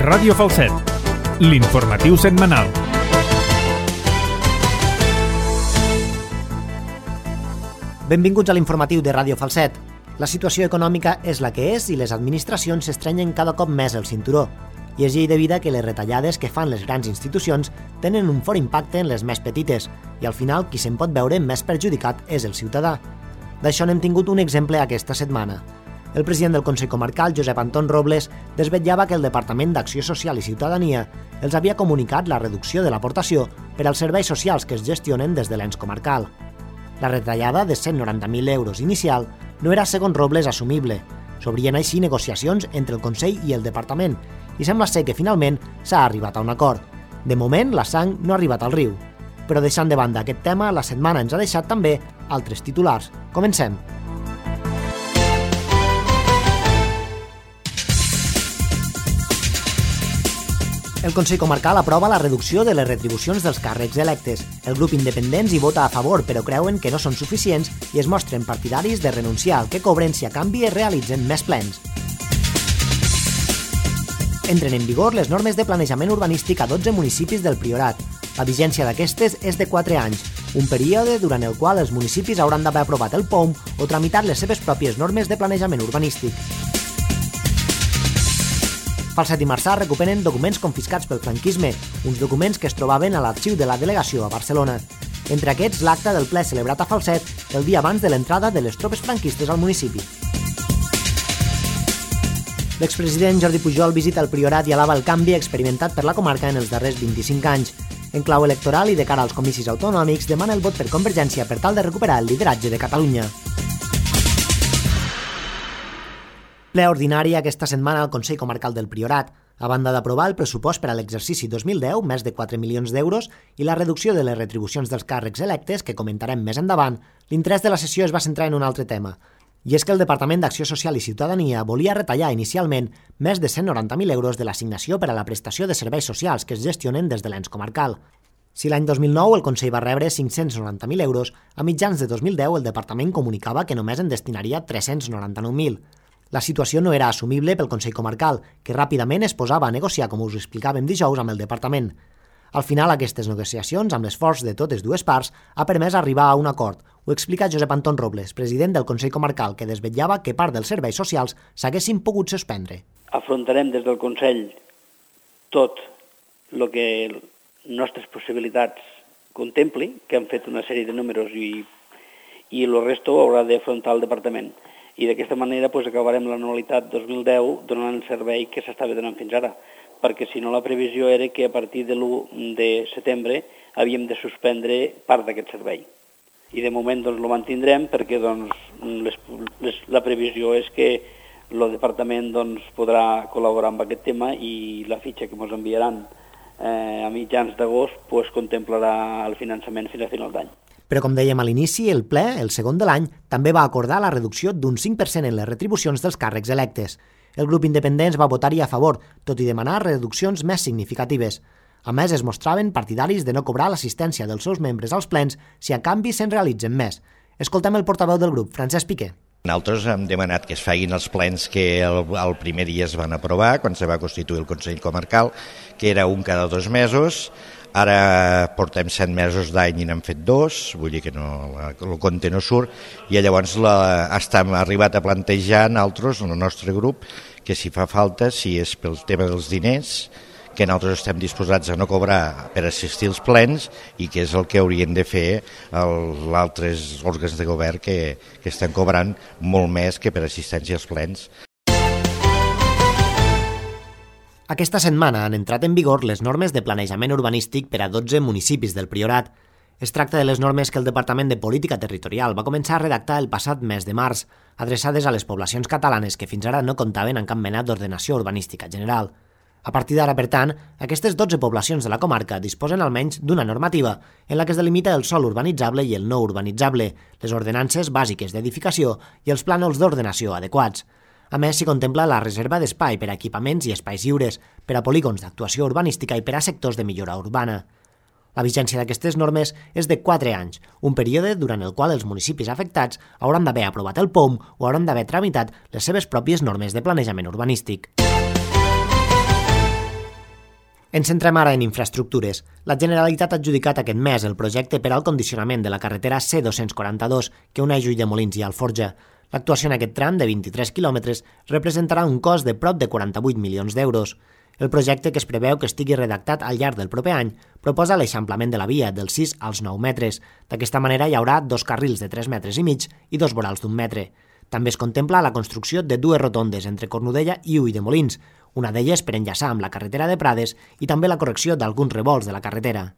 Ràdio Falset, l'informatiu setmanal. Benvinguts a l'informatiu de Ràdio Falset. La situació econòmica és la que és i les administracions s'estrenyen cada cop més el cinturó. I és llei de vida que les retallades que fan les grans institucions tenen un fort impacte en les més petites i al final qui se'n pot veure més perjudicat és el ciutadà. D'això n'hem tingut un exemple aquesta setmana. El president del Consell Comarcal, Josep Anton Robles, desvetllava que el Departament d'Acció Social i Ciutadania els havia comunicat la reducció de l'aportació per als serveis socials que es gestionen des de l'ens comarcal. La retallada de 190.000 euros inicial no era, segons Robles, assumible. S'obrien així negociacions entre el Consell i el Departament i sembla ser que finalment s'ha arribat a un acord. De moment, la sang no ha arribat al riu. Però deixant de banda aquest tema, la setmana ens ha deixat també altres titulars. Comencem. El Consell Comarcal aprova la reducció de les retribucions dels càrrecs electes. El grup independents hi vota a favor, però creuen que no són suficients i es mostren partidaris de renunciar al que cobren si a canvi es realitzen més plens. Entren en vigor les normes de planejament urbanístic a 12 municipis del Priorat. La vigència d'aquestes és de 4 anys, un període durant el qual els municipis hauran d'haver aprovat el POUM o tramitat les seves pròpies normes de planejament urbanístic. Falset i Marçà recuperen documents confiscats pel franquisme, uns documents que es trobaven a l'arxiu de la delegació a Barcelona. Entre aquests, l'acta del ple celebrat a Falset el dia abans de l'entrada de les tropes franquistes al municipi. L'expresident Jordi Pujol visita el Priorat i alaba el canvi experimentat per la comarca en els darrers 25 anys. En clau electoral i de cara als comicis autonòmics, demana el vot per Convergència per tal de recuperar el lideratge de Catalunya. Ple ordinari aquesta setmana al Consell Comarcal del Priorat. A banda d'aprovar el pressupost per a l'exercici 2010, més de 4 milions d'euros, i la reducció de les retribucions dels càrrecs electes, que comentarem més endavant, l'interès de la sessió es va centrar en un altre tema. I és que el Departament d'Acció Social i Ciutadania volia retallar inicialment més de 190.000 euros de l'assignació per a la prestació de serveis socials que es gestionen des de l'ens comarcal. Si l'any 2009 el Consell va rebre 590.000 euros, a mitjans de 2010 el Departament comunicava que només en destinaria 399.000. La situació no era assumible pel Consell Comarcal, que ràpidament es posava a negociar, com us explicàvem dijous, amb el Departament. Al final, aquestes negociacions, amb l'esforç de totes dues parts, ha permès arribar a un acord. Ho explica Josep Anton Robles, president del Consell Comarcal, que desvetllava que part dels serveis socials s'haguessin pogut suspendre. Afrontarem des del Consell tot el que nostres possibilitats contempli, que han fet una sèrie de números i el resto ho haurà d'afrontar el Departament. I d'aquesta manera acabarem l'anualitat 2010 donant el servei que s'estava donant fins ara, perquè si no la previsió era que a partir de l'1 de setembre havíem de suspendre part d'aquest servei. I de moment el mantindrem perquè la previsió és que el Departament podrà col·laborar amb aquest tema i la fitxa que ens enviaran a mitjans d'agost contemplarà el finançament fins a final d'any. Però, com dèiem a l'inici, el ple, el segon de l'any, també va acordar la reducció d'un 5% en les retribucions dels càrrecs electes. El grup independents va votar-hi a favor, tot i demanar reduccions més significatives. A més, es mostraven partidaris de no cobrar l'assistència dels seus membres als plens si a canvi se'n realitzen més. Escoltem el portaveu del grup, Francesc Piqué. Nosaltres hem demanat que es facin els plens que el primer dia es van aprovar, quan se va constituir el Consell Comarcal, que era un cada 2 mesos. Ara portem 7 mesos d'any i n'hem fet 2, vull dir que el compte no surt, i llavors hem arribat a plantejar nosaltres, el nostre grup, que si fa falta, si és pel tema dels diners, que nosaltres estem disposats a no cobrar per assistir als plens i que és el que haurien de fer els altres òrgans de govern que estan cobrant molt més que per assistència als plens. Aquesta setmana han entrat en vigor les normes de planejament urbanístic per a 12 municipis del Priorat. Es tracta de les normes que el Departament de Política Territorial va començar a redactar el passat mes de març, adreçades a les poblacions catalanes que fins ara no comptaven amb cap mena d'ordenació urbanística general. A partir d'ara, per tant, aquestes 12 poblacions de la comarca disposen almenys d'una normativa en la que es delimita el sòl urbanitzable i el no urbanitzable, les ordenances bàsiques d'edificació i els plànols d'ordenació adequats. A més, s'hi contempla la reserva d'espai per a equipaments i espais lliures, per a polígons d'actuació urbanística i per a sectors de millora urbana. La vigència d'aquestes normes és de 4 anys, un període durant el qual els municipis afectats hauran d'haver aprovat el POUM o hauran d'haver tramitat les seves pròpies normes de planejament urbanístic. Ens centrem ara en infraestructures. La Generalitat ha adjudicat aquest mes el projecte per al condicionament de la carretera C242 que uneix Ulldemolins i Alforja. L'actuació en aquest tram de 23 quilòmetres representarà un cost de prop de 48 milions d'euros. El projecte, que es preveu que estigui redactat al llarg del proper any, proposa l'eixamplament de la via dels 6 als 9 metres. D'aquesta manera hi haurà 2 carrils de 3 metres i mig i 2 vorals d'1 metre. També es contempla la construcció de 2 rotondes entre Cornudella i Ulldemolins, una d'elles per enllaçar amb la carretera de Prades i també la correcció d'alguns revolts de la carretera.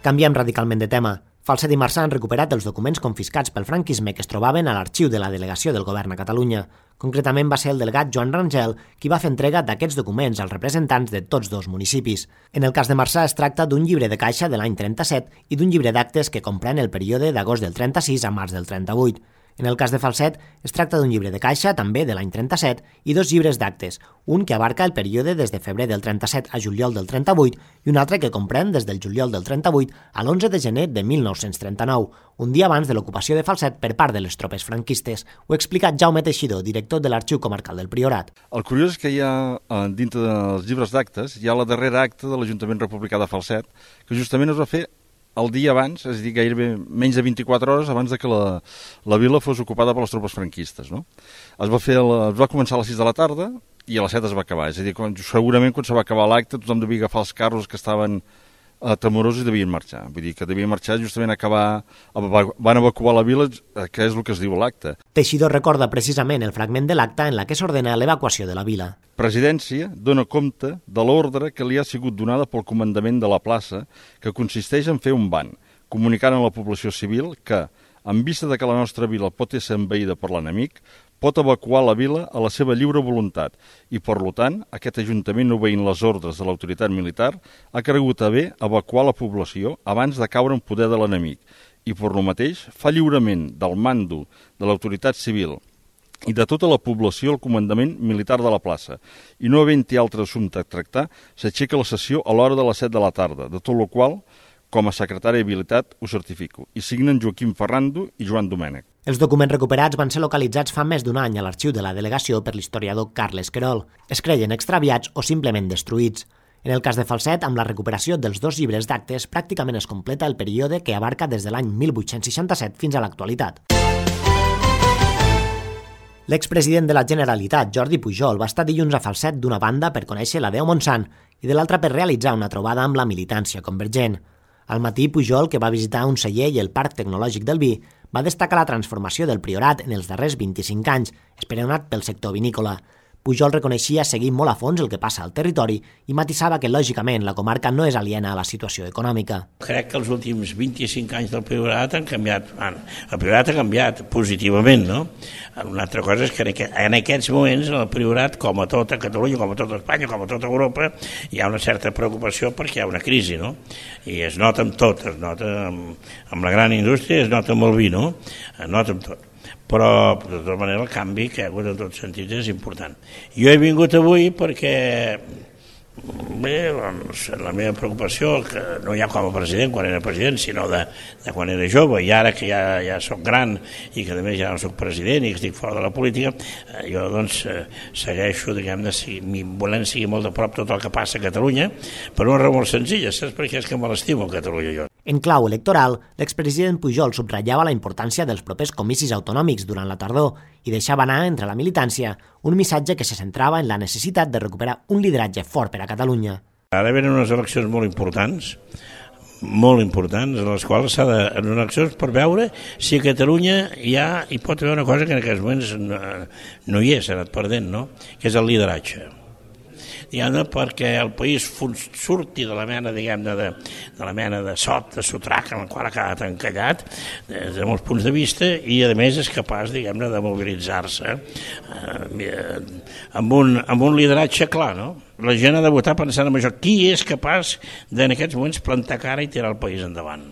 Canviem radicalment de tema. Falset i Marsà han recuperat els documents confiscats pel franquisme que es trobaven a l'arxiu de la delegació del govern a Catalunya. Concretament va ser el delegat Joan Rangel qui va fer entrega d'aquests documents als representants de tots dos municipis. En el cas de Marsà es tracta d'un llibre de caixa de l'any 37 i d'un llibre d'actes que comprèn el període d'agost del 36 a març del 38. En el cas de Falset, es tracta d'un llibre de caixa, també de l'any 37, i 2 llibres d'actes, un que abarca el període des de febrer del 37 a juliol del 38 i un altre que comprèn des del juliol del 38 a l'11 de gener de 1939, un dia abans de l'ocupació de Falset per part de les tropes franquistes. Ho ha explicat Jaume Teixidor, director de l'Arxiu Comarcal del Priorat. El curiós és que hi ha, dintre dels llibres d'actes, hi ha la darrera acta de l'Ajuntament Republicà de Falset, que justament es va fer el dia abans, és a dir, gairebé menys de 24 hores abans de que la vila fos ocupada per les tropes franquistes. No? Es va començar a les 6 de la tarda i a les 7 es va acabar. És a dir, segurament quan se va acabar l'acte tothom devia agafar els carros que estaven temorosos i devien marxar. Vull dir que devien marxar justament van evacuar la vila, que és el que es diu l'acte. Teixidor recorda precisament el fragment de l'acte en la que s'ordena l'evacuació de la vila. Presidència dona compte de l'ordre que li ha sigut donada pel comandament de la plaça, que consisteix en fer un ban, comunicant a la població civil que, en vista de que la nostra vila pot ser envaïda per l'enemic, pot evacuar la vila a la seva lliure voluntat i, per tant, aquest Ajuntament, obeint les ordres de l'autoritat militar, ha cregut a bé evacuar la població abans de caure en poder de l'enemic i, per lo mateix, fa lliurament del mando de l'autoritat civil i de tota la població al comandament militar de la plaça i, no havent-hi altre assumpte a tractar, s'aixeca la sessió a l'hora de les 7 de la tarda, de tot el qual, com a secretari d'Habilitat, ho certifico, i signen Joaquim Ferrando i Joan Domènech. Els documents recuperats van ser localitzats fa més d'un any a l'arxiu de la delegació per l'historiador Carles Querol. Es creien extraviats o simplement destruïts. En el cas de Falset, amb la recuperació dels 2 llibres d'actes, pràcticament es completa el període que abarca des de l'any 1867 fins a l'actualitat. L'expresident de la Generalitat, Jordi Pujol, va estar dilluns a Falset d'una banda per conèixer la Déu Montsant i de l'altra per realitzar una trobada amb la militància convergent. Al matí, Pujol, que va visitar un celler i el Parc Tecnològic del Vi, va destacar la transformació del Priorat en els darrers 25 anys, esperonat pel sector vinícola. Pujol reconeixia seguir molt a fons el que passa al territori i matisava que, lògicament, la comarca no és aliena a la situació econòmica. Crec que els últims 25 anys del Priorat han canviat. El Priorat ha canviat positivament, no? Una altra cosa és que en aquests moments el Priorat, com a tota Catalunya, com a tota Espanya, com a tota Europa, hi ha una certa preocupació perquè hi ha una crisi, no? I es nota amb tot, es nota amb la gran indústria, es nota amb el vi, no? Es nota amb tot. Però, de tota manera, el canvi que hi ha hagut en tots sentits és important. Jo he vingut avui perquè bé, doncs, la meva preocupació, que no ja com a president, quan era president, sinó de quan era jove, i ara que ja soc gran i que a més ja no soc president i que estic fora de la política, jo doncs segueixo, diguem-ne, volent seguir molt de prop tot el que passa a Catalunya, per una raó molt senzilla, saps? Perquè és que me l'estimo a Catalunya jo. En clau electoral, l'expresident Pujol subratllava la importància dels propers comicis autonòmics durant la tardor i deixava anar entre la militància un missatge que se centrava en la necessitat de recuperar un lideratge fort per a Catalunya. Ara venen unes eleccions molt importants, en les quals s'ha de, en unes eleccions per veure si a Catalunya hi pot haver una cosa que en aquests moments no hi és, s'ha anat perdent, no? Que és el lideratge. Diguem-ne, perquè el país surti de la mena, diguem-ne, de la mena de sot, de sotrac, en el qual ha quedat encallat, des de molts punts de vista, i a més és capaç, diguem-ne, de mobilitzar-se amb un lideratge clar, no? La gent ha de votar pensant en això. Qui és capaç en aquests moments plantar cara i tirar el país endavant?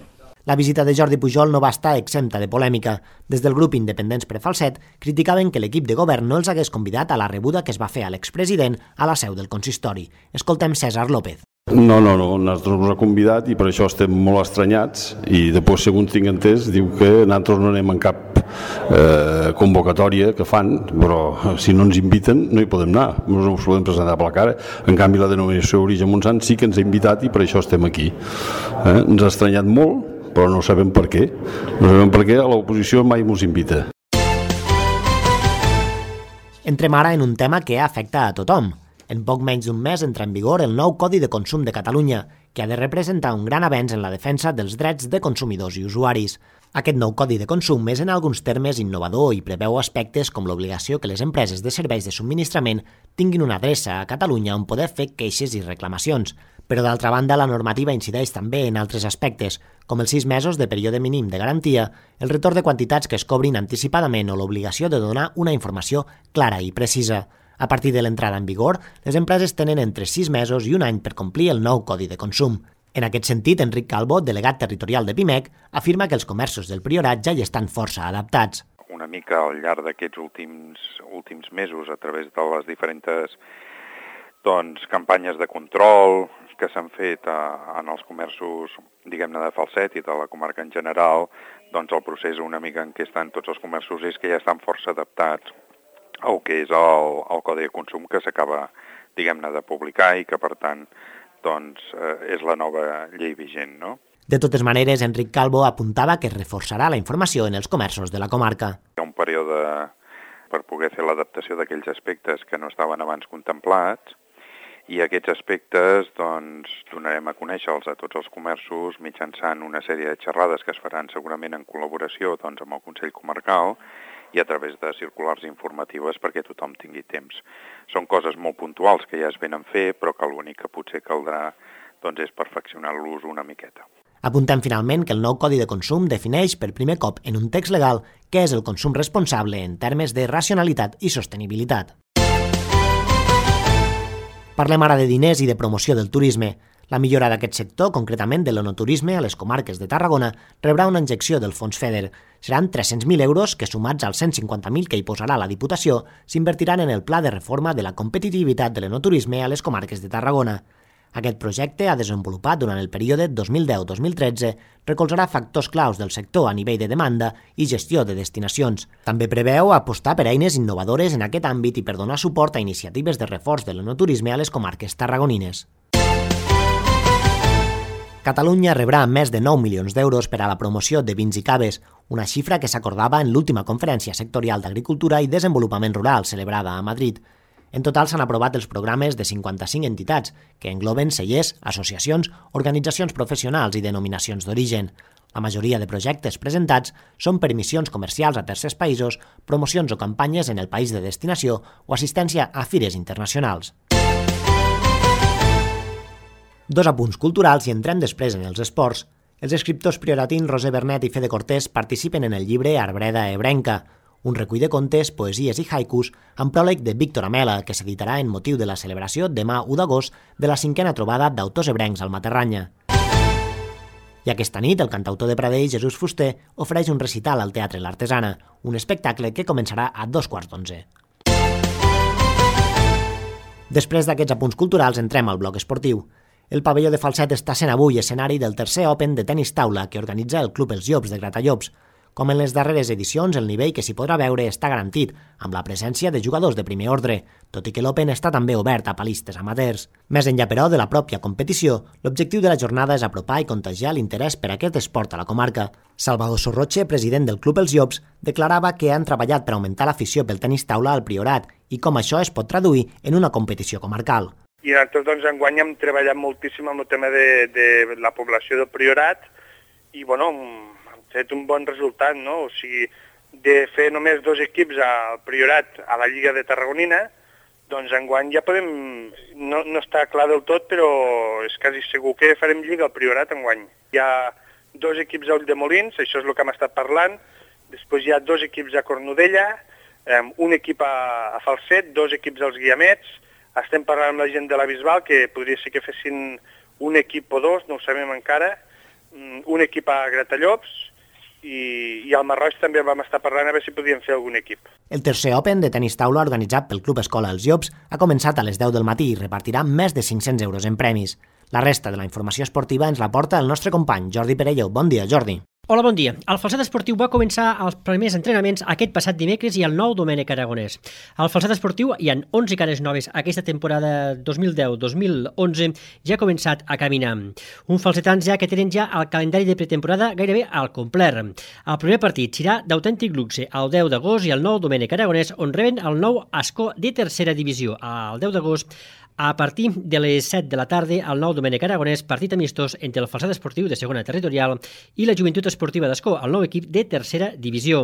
La visita de Jordi Pujol no va estar exempta de polèmica. Des del grup Independents per Falset criticaven que l'equip de govern no els hagués convidat a la rebuda que es va fer a l'expresident a la seu del consistori. Escoltem César López. No, nosaltres ens ha convidat i per això estem molt estranyats i després, segons tinc entès, diu que nosaltres no anem en cap convocatòria que fan, però si no ens inviten no hi podem anar, no ens podem presentar per la cara. En canvi, la denominació Origen Montsant sí que ens ha invitat i per això estem aquí. Ens ha estranyat molt, però no sabem per què. No sabem per què a l'oposició mai ens invita. Entrem ara en un tema que afecta a tothom. En poc menys d'un mes entra en vigor el nou Codi de Consum de Catalunya, que ha de representar un gran avenç en la defensa dels drets de consumidors i usuaris. Aquest nou Codi de Consum és en alguns termes innovador i preveu aspectes com l'obligació que les empreses de serveis de subministrament tinguin una adreça a Catalunya on poder fer queixes i reclamacions. Però d'altra banda, la normativa incideix també en altres aspectes, com els 6 mesos de període mínim de garantia, el retorn de quantitats que es cobrin anticipadament o l'obligació de donar una informació clara i precisa. A partir de l'entrada en vigor, les empreses tenen entre 6 mesos i un any per complir el nou Codi de Consum. En aquest sentit, Enric Calvo, delegat territorial de PIMEC, afirma que els comerços del Priorat ja hi estan força adaptats. Una mica al llarg d'aquests últims mesos, a través de les diferents campanyes de control que s'han fet en els comerços, diguem-ne, de Falset i de la comarca en general, doncs el procés una mica en què estan tots els comerços és que ja estan força adaptats al que és el Codi de Consum que s'acaba, diguem-ne, de publicar i que, per tant, doncs, és la nova llei vigent, no? De totes maneres, Enric Calvo apuntava que es reforçarà la informació en els comerços de la comarca. Hi ha un període per poder fer l'adaptació d'aquells aspectes que no estaven abans contemplats i aquests aspectes doncs, donarem a conèixer-los a tots els comerços mitjançant una sèrie de xerrades que es faran segurament en col·laboració doncs, amb el Consell Comarcal i a través de circulars informatives perquè tothom tingui temps. Són coses molt puntuals que ja es venen a fer, però que l'únic que potser caldrà doncs, és perfeccionar-los una miqueta. Apuntem finalment que el nou Codi de Consum defineix per primer cop en un text legal què és el consum responsable en termes de racionalitat i sostenibilitat. Parlem ara de diners i de promoció del turisme. La millora d'aquest sector, concretament de l'enoturisme a les comarques de Tarragona, rebrà una injecció del fons FEDER. Seran 300.000 euros que, sumats als 150.000 que hi posarà la Diputació, s'invertiran en el pla de reforma de la competitivitat de l'enoturisme a les comarques de Tarragona. Aquest projecte, ha desenvolupat durant el període 2010-2013, recolzarà factors claus del sector a nivell de demanda i gestió de destinacions. També preveu apostar per eines innovadores en aquest àmbit i per donar suport a iniciatives de reforç de l'enoturisme a les comarques tarragonines. Catalunya rebrà més de 9 milions d'euros per a la promoció de vins i caves, una xifra que s'acordava en l'última conferència sectorial d'Agricultura i Desenvolupament Rural celebrada a Madrid. En total s'han aprovat els programes de 55 entitats, que engloben cellers, associacions, organitzacions professionals i denominacions d'origen. La majoria de projectes presentats són per missions comercials a tercers països, promocions o campanyes en el país de destinació o assistència a fires internacionals. 2 apunts culturals i entrem després en els esports. Els escriptors prioratins Roser Bernet i Fede Cortés participen en el llibre Arbreda Ebrenca, un recull de contes, poesies i haikus amb pròleg de Víctor Amela, que s'editarà en motiu de la celebració demà 1 d'agost de la 5a trobada d'autors ebrencs al Materranya. I aquesta nit, el cantautor de Pradell, Jesús Fuster, ofereix un recital al Teatre L'Artesana, un espectacle que començarà a 11:15. Després d'aquests apunts culturals, entrem al bloc esportiu. El pavelló de Falset està sent avui escenari del tercer Open de tenis taula que organitza el Club Els Llops de Gratallops. Com en les darreres edicions, el nivell que s'hi podrà veure està garantit, amb la presència de jugadors de primer ordre, tot i que l'Open està també obert a palistes amateurs. Més enllà, però, de la pròpia competició, l'objectiu de la jornada és apropar i contagiar l'interès per aquest esport a la comarca. Salvador Sorroche, president del Club Els Llops, declarava que han treballat per augmentar l'afició pel tenis taula al Priorat i com això es pot traduir en una competició comarcal. I nosaltres, doncs, enguany hem treballat moltíssim amb el tema de la població del Priorat i, bueno, hem fet un bon resultat, no? O sigui, de fer només 2 equips al Priorat a la Lliga de Tarragonina, doncs enguany ja podem... No està clar del tot, però és quasi segur que farem Lliga al Priorat enguany. Hi ha 2 equips a Ulldemolins, això és el que hem estat parlant, després hi ha 2 equips a Cornudella, un equip a Falset, 2 equips als Guiamets. Estem parlant amb la gent de la Bisbal, que podria ser que fessin un equip o 2, no ho sabem encara, un equip a Gratallops, i al Marroig també vam estar parlant a veure si podíem fer algun equip. El tercer Open de tenis taula organitzat pel Club Escola Els Llops ha començat a les 10 del matí i repartirà més de 500 euros en premis. La resta de la informació esportiva ens la porta el nostre company Jordi Perello. Bon dia, Jordi. Hola, bon dia. El Falset Esportiu va començar els primers entrenaments aquest passat dimecres i el nou Domènec Aragonès. Al Falset Esportiu hi ha 11 cares noves aquesta temporada 2010-2011 ja ha començat a caminar. Uns falsetans ja que tenen ja el calendari de pretemporada gairebé al complet. El primer partit serà d'Autèntic Luxe el 10 d'agost i el nou Domènec Aragonès on reben el nou Ascó de tercera divisió. El 10 d'agost a partir de les 7 de la tarda, el nou Domènec Aragonès, partit amistós entre el Falset Esportiu de segona territorial i la Joventut Esportiva d'Ascó, el nou equip de tercera divisió.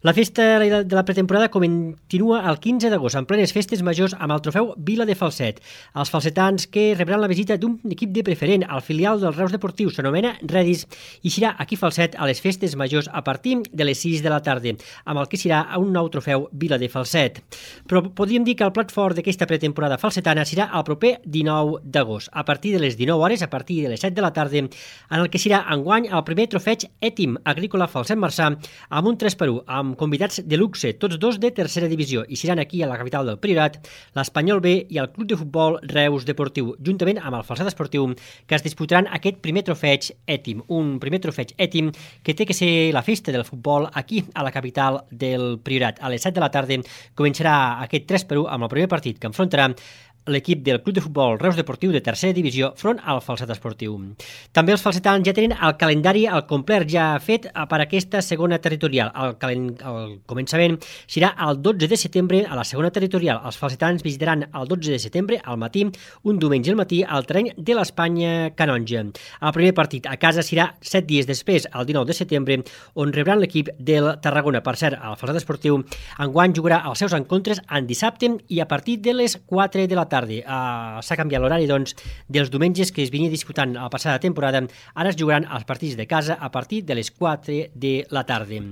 La festa de la pretemporada continua el 15 d'agost, en plenes festes majors amb el trofeu Vila de Falset. Els falsetans que rebran la visita d'un equip de preferent, el filial del Reus Deportiu, s'anomena Redis, i serà aquí Falset a les festes majors a partir de les 6 de la tarda, amb el que serà un nou trofeu Vila de Falset. Però podríem dir que el plat fort d'aquesta pretemporada falsetana serà el proper 19 d'agost, a partir de les 19 hores, a partir de les 7 de la tarda, en el que serà enguany el primer trofeig Ètim Agrícola Falset Marçà amb un 3x1, amb convidats de luxe, tots dos de tercera divisió, i seran aquí a la capital del Priorat, l'Espanyol B i el Club de Futbol Reus Deportiu, juntament amb el Falset Esportiu, que es disputaran aquest primer trofeig Ètim, un primer trofeig Ètim que té que ser la festa del futbol aquí a la capital del Priorat. A les 7 de la tarda començarà aquest 3x1 amb el primer partit que enfrontarà l'equip del Club de Futbol Reus Deportiu de tercera divisió front al Falset Esportiu. També els falsetans ja tenen el calendari al complet ja fet per aquesta segona territorial. El començament serà el 12 de setembre a la segona territorial. Els falsetans visitaran el 12 de setembre al matí, un diumenge al matí, al terreny de l'Espanya Canonja. El primer partit a casa serà 7 dies després, el 19 de setembre, on rebran l'equip del Tarragona. Per cert, el Falset Esportiu enguany jugarà els seus encontres en dissabte i a partir de les 4 de la tarda. S'ha canviat l'horari dels diumenges que es venia disputant a la passada temporada. Ara es jugaran els partits de casa a partir de les 4 de la tarda.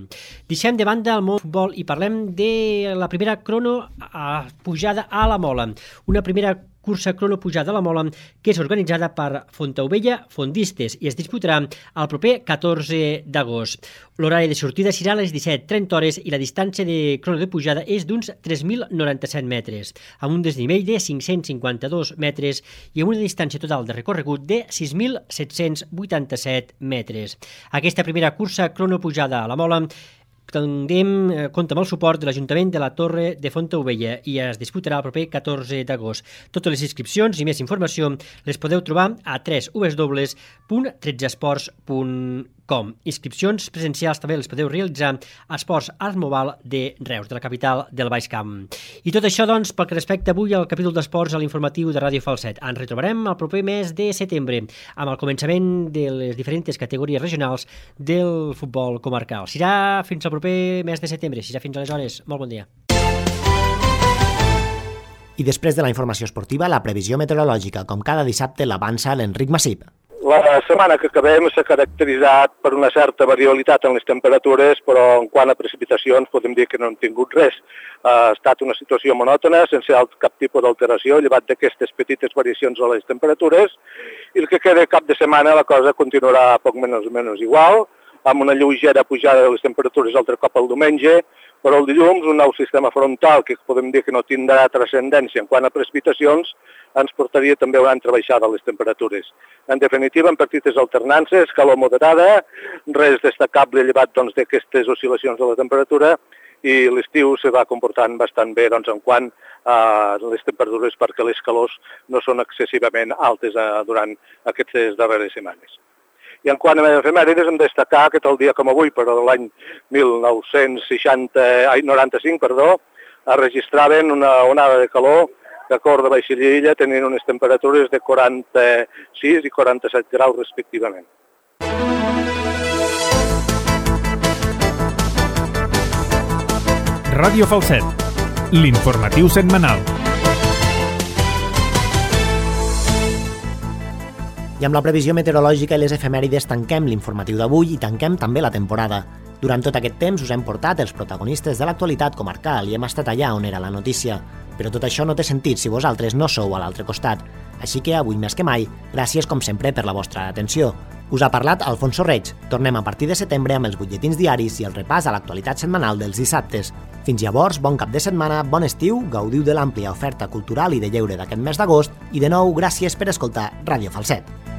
Deixem de banda el món futbol i parlem de la primera crono pujada a la Mola. Una primera cursa crono pujada a la Mola que és organitzada per Fontaubella Fondistes i es disputarà el proper 14 d'agost. L'horari de sortida serà a les 17:30 hores i la distància de crono de pujada és d'uns 3.097 metres, amb un desnivell de 552 metres i amb una distància total de recorregut de 6.787 metres. Aquesta primera cursa crono pujada a la Mola compta amb el suport de l'Ajuntament de la Torre de Fontaubella i es disputarà el proper 14 d'agost. Totes les inscripcions i més informació les podeu trobar a www.13esports.com. Inscripcions presencials també les podeu realitzar a Esports Art Mobile de Reus, de la capital del Baix Camp. I tot això, doncs, pel que respecta avui al capítol d'esports a l'informatiu de Ràdio Falset. Ens retrobarem el proper mes de setembre amb el començament de les diferents categories regionals del futbol comarcal. Serà fins al proper mes de setembre, serà fins aleshores. Molt bon dia. I després de la informació esportiva, la previsió meteorològica, com cada dissabte, l'avança l'Enric Massip. La setmana que acabem s'ha caracteritzat per una certa variabilitat en les temperatures, però en quant a precipitacions podem dir que no hem tingut res. Ha estat una situació monòtona, sense cap tipus d'alteració, llevat d'aquestes petites variacions a les temperatures, i el que queda cap de setmana la cosa continuarà poc menys igual, amb una lleugera pujada de les temperatures altre cop el diumenge, però el dilluns un nou sistema frontal que podem dir que no tindrà transcendència en quant a precipitacions ens portaria també a una altra baixada a les temperatures. En definitiva, en petites alternances, calor moderada, res destacable llevat d'aquestes oscil·lacions de la temperatura i l'estiu se va comportant bastant bé en quant a les temperatures perquè les calors no són excessivament altes durant aquestes darreres setmanes. I en quant a efemèrides, hem de destacar que tal dia com avui, però de l'any 1995, es registraven una onada de calor que a Cor de Baixella tenien unes temperatures de 46 i 47 graus respectivament. Ràdio Falset, l'informatiu setmanal. I amb la previsió meteorològica i les efemèrides tanquem l'informatiu d'avui i tanquem també la temporada. Durant tot aquest temps us hem portat els protagonistes de l'actualitat comarcal i hem estat allà on era la notícia. Però tot això no té sentit si vosaltres no sou a l'altre costat. Així que avui més que mai, gràcies com sempre per la vostra atenció. Us ha parlat Alfonso Reig. Tornem a partir de setembre amb els butlletins diaris i el repàs a l'actualitat setmanal dels dissabtes. Fins llavors, bon cap de setmana, bon estiu, gaudiu de l'àmplia oferta cultural i de lleure d'aquest mes d'agost i de nou, gràcies per escoltar Ràdio Falset.